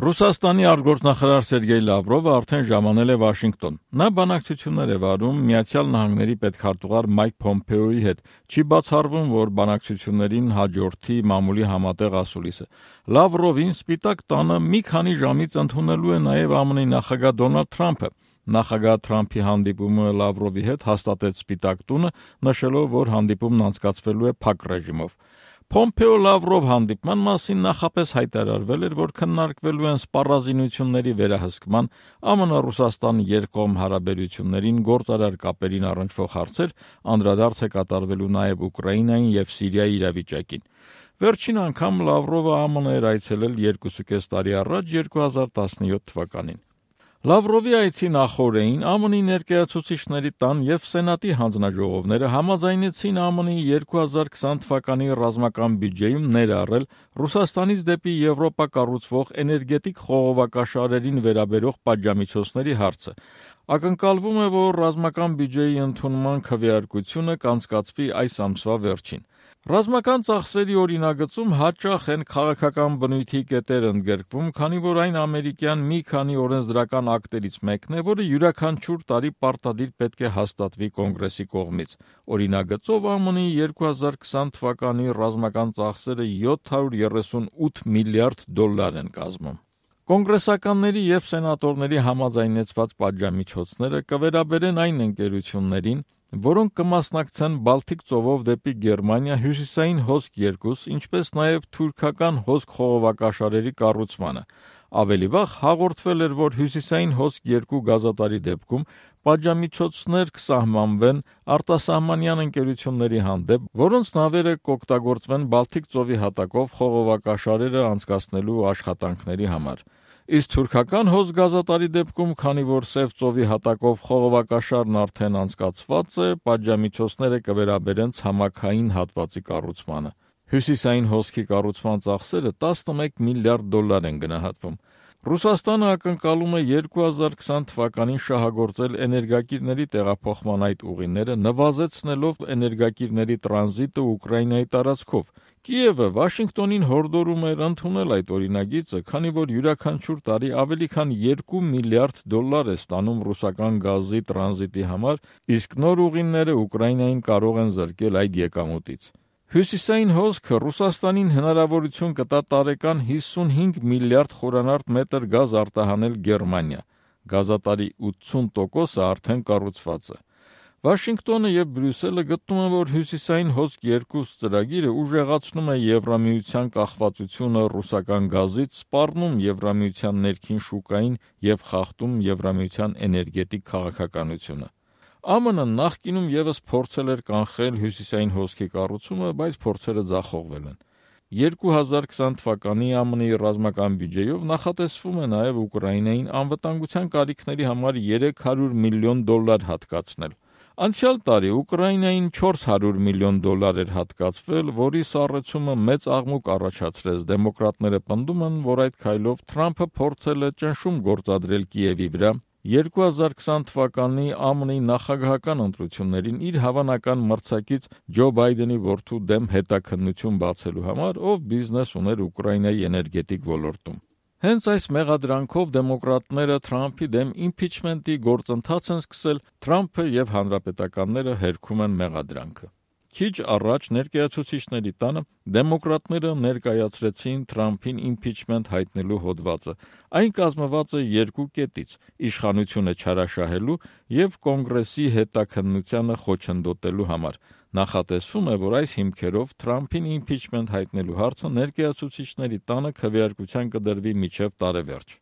Ռուսաստանի արտգործնախարար Սերգեյ Լավրովը արդեն ժամանել է Վաշինգտոն։ Նա բանակցություններ է վարում Միացյալ Նահանգների պետքարտուղար Մայք Փոմպեոյի հետ։ Չի բացառվում, որ բանակցություններին հաջորդի մամուլի համատեղ ասուլիսը։ Լավրովին Սպիտակ տանը մի քանի ժամից ընդունելու է նաև ԱՄՆ նախագահ Դոնալդ Թրամփը։ Նախագահ Թրամփի հանդիպումը Լավրովի հետ հաստատեց Սպիտակ տունը, նշելով, որ հանդիպումն անցկացվելու է փակ ռեժիմով։ Փոմպեո-Լավրով հանդիպման մասին նախապես հայտարարվել էր, որ քննարկվելու են սպառազինությունների վերահսկման, ԱՄՆ-Ռուսաստան երկկողմ հարաբերություններին, գործարար կապերին առնչվող հարցեր, անդրադարձ է կատարվելու նաև Ուկրաինային և Սիրիայի իրավիճակին։ Վերջին անգամ Լավրովը ԱՄՆ էր այցելել 2,5 տարի առաջ 2017 թվականին։ Լավրովի այցի նախօրեին ԱՄՆ ներկայացուցիչների տան և Սենատի հանձնաժողովները համաձայնեցին ԱՄՆ 2020 թվականի ռազմական բյուջեում ներառել Ռուսաստանից դեպի Եվրոպա կառուցվող էներգետիկ խողովակաշարերին վերաբերող պատժամիջոցների հարցը։ Ակնկալվում է, որ ռազմական բյուջեի ընդունման քվեարկությունը կանցկացվի այս ամսվա վերջին։ Ռազմական ծախսերի օրինագծում հաճախ են քաղաքական բնույթի կետեր ընդգրկվում, քանի որ այն ամերիկյան մի քանի օրենսդրական ակտերից մեկն է, որը յուրաքանչյուր տարի պարտադիր պետք է հաստատվի Կոնգրեսի կողմից։ Օրինագծով ԱՄՆ 2020 թվականի ռազմական ծախսերը $738 միլիարդ են կազմում։ Կոնգրեսականների և սենատորների համաձայնեցված պատժամիջոցները կվերաբերեն այն ընկերություններին, որոնք կմասնակցեն Բալթիկ ծովով դեպի Գերմանիա հյուսիսային հոսք 2, ինչպես նաև թուրքական հոսք խողովակաշարերի կառուցմանը։ Ավելի վաղ հաղորդվել էր, որ հյուսիսային հոսք 2 գազատարի դեպքում պատժամիջոցներ կսահմանվեն արտասահմանյան ընկերությունների հանդեպ, որոնց նավերը կօգտագործվեն Բալթիկ ծովի հատակով խողովակաշարերը անցկացնելու աշխատանքների համար։ Իսկ թուրքական հոսք գազատարի դեպքում, քանի որ Սև ծովի հատակով խողովակաշարն արդեն անցկացված է, պատժամիջոցները կվերաբերեն ցամաքային հատվածի կառուցմանը։ Հյուսիսային հոսքի կառուցման ծախսերը $11 միլիարդ են գնահատվում։ Ռուսաստանը ակնկալում է 2020 թվականին շահագործել էներգակիրների տեղափոխման այդ ուղիները, նվազեցնելով էներգակիրների տրանզիտը Ուկրաինայի տարածքով։ Կիևը Վաշինգտոնին հորդորում էր ընդունել այդ օրինագիծը, քանի որ յուրաքանչյուր տարի ավելի քան $2 միլիարդ է ստանում ռուսական գազի տրանզիտի համար, իսկ նոր ուղիները Ուկրաինային կարող են զրկել այդ եկամուտից։ Հյուսիսային հոսքը Ռուսաստանին հնարավորություն կտա տարեկան 55 միլիարդ խորանարդ մետր գազ արտահանել Գերմանիա։ Գազատարի 80%-ը արդեն կառուցված է։ Վաշինգտոնը և Բրյուսելը գտնում են, որ հյուսիսային հոսք 2 ծրագիրը ուժեղացնում է Եվրամիության կախվածությունը ռուսական գազից, սպառնում Եվրամիության ներքին շուկային և խախտում Եվրամիության էներգետիկ քաղաքականությունը։ ԱՄՆ-ն նախկինում ևս փորձել էր կանխել հյուսիսային հոսքի կառուցումը, բայց փորձերը ձախողվել են։ 2020 թվականի ԱՄՆ-ի ռազմական բյուջեով նախատեսվում է նաև Ուկրաինային անվտանգության կարիքների համար $300 միլիոն հատկացնել։ Անցյալ տարի Ուկրաինային $400 միլիոն էր հատկացվել, որի սառեցումը մեծ աղմուկ առաջացրեց։ Դեմոկրատները պնդում են, որ այդ քայլով Թրամփը փորձել է ճնշում գործադրել Կիևի վրա 2020 թվականի ԱՄՆ-ի նախագահական ընտրություններին իր հավանական մրցակից Ջո Բայդենի որդու դեմ հետաքննություն բացելու համար, ով բիզնես ուներ Ուկրաինայի էներգետիկ ոլորտում։ Հենց այս մեղադրանքով դեմոկրատները Թրամփի դեմ իմփիչմենտի գործընթաց են սկսել, Թրամփը և հանրապետականները հերքում են մեղադրանքը։ Քիչ առաջ ներկայացուցիչների տանը դեմոկրատները ներկայացրեցին Թրամփին իմփիչմենտ հայտնելու հոդվածը։ Այն կազմված է երկու կետից՝ իշխանությունը չարաշահելու և Կոնգրեսի հետաքննությանը խոչընդոտելու համար։ Նախատեսվում է, որ այս հիմքերով Թրամփին իմփիչմենտ հայտնելու հարցը ներկայացուցիչների տանը քվեարկության կդրվի մինչև տարեվերջ։